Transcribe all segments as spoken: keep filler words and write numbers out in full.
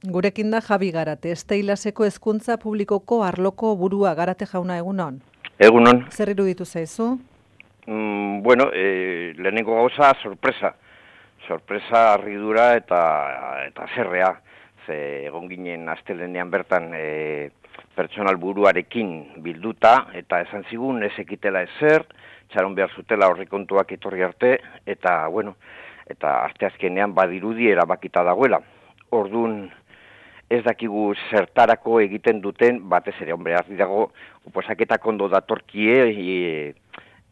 Gurekin da Javi Garate, Esteilaseko hezkuntza publikoko arloko burua. Garate jauna, egunon? Egunon. Zer iruditu zaizu? Mm, bueno, e, lehenengo gauza, sorpresa. Sorpresa, arridura eta eta zerrea. Ze egon ginen astelenean bertan e, pertsonal buruarekin bilduta, eta esan zigun ez ekitela ezer, txaron behar zutela horrikontuak etorri arte, eta, bueno, eta asteazkenean badirudi erabakita dagoela. Ordun ez dakigu zertarako egiten duten, batez ere, hombre, argi dago, oposaketak ondo datorkie e,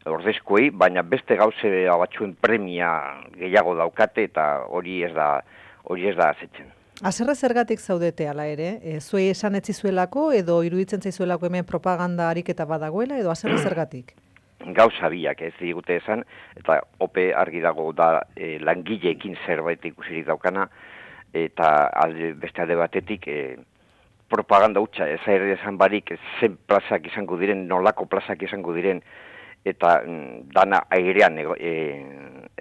ordezkoei, baina beste gauze batzuen premia gehiago daukate, eta hori ez da, hori ez da azetzen. Haserre zergatik zaudete ala ere? E, zuei esan etzizuelako, edo iruditzen zaizuelako hemen propaganda ariketa badagoela, edo haserre zergatik? Gauza biak ez digute esan, eta ope argi dago da e, langileekin zerbait ikusirik daukana, eta alde, beste alde batetik e, propaganda hutsa, ez ere esan barik zen plazak izango diren, nolako plazak izango diren, eta mm, dana airean ego, e,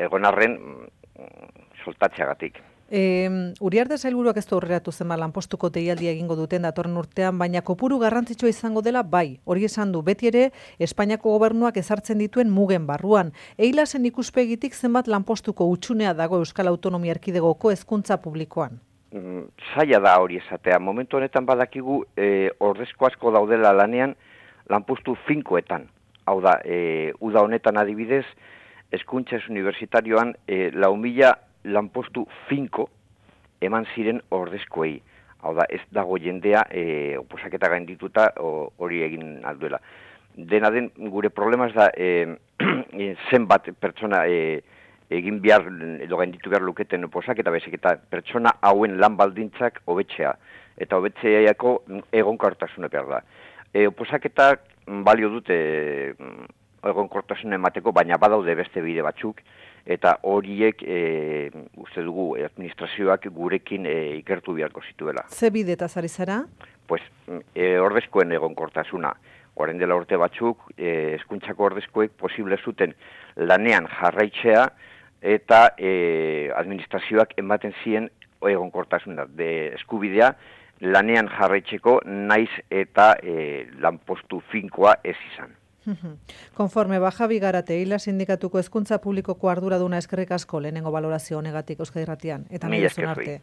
egon arren mm, soltatzeagatik. E, Uriarte sailburuak ez du aurreratu zenba lanpostuko deialdia egingo duten datorren urtean, baina kopuru garrantzitsua izango dela bai. Hori esan du beti ere Espainiako gobernuak ezartzen dituen mugen barruan. Eilasen ikuspegitik zenbat lanpostuko hutsunea dago Euskal Autonomia Erkidegoko hezkuntza publikoan? Mm, zaila da hori esatea. Momentu honetan badakigu e, ordezko asko daudela lanean lanpostu finkoetan. Hau da, e, uda honetan adibidez, hezkuntza ez unibertsitarioan e, lau mila lanpostu finko eman ziren ordezkoei. Hau da, ez dago jendea e, oposaketa gaindituta hori egin alduela. Dena den, gure problema ez da e, zenbat pertsona e, egin behar, edo gainditu behar luketen oposaketa, bezik eta pertsona hauen lan baldintzak hobetzea. Eta hobetzeako egonkortasune behar da. E, oposaketak balio dute egonkortasune emateko, baina badaude beste bide batzuk, eta horiek e, uste dugu administrazioak gurekin e, ikertu beharko zituela. Ze bidetaz ari zara? Pues, e, ordezkoen egonkortasuna. Orain dela urte batzuk, e, hezkuntzako ordezkoek posible zuten lanean jarraitzea, eta e, administrazioak ematen zien egonkortasuna. De eskubidea lanean jarraitzeko naiz eta e, lanpostu finkoa ez izan. Konforme ba Javi Garate, Eila sindikatuko hezkuntza publikoko arduraduna eskerrik asko lehenengo balorazio honegatik Euskadi Irratian, eta nahi duzun arte.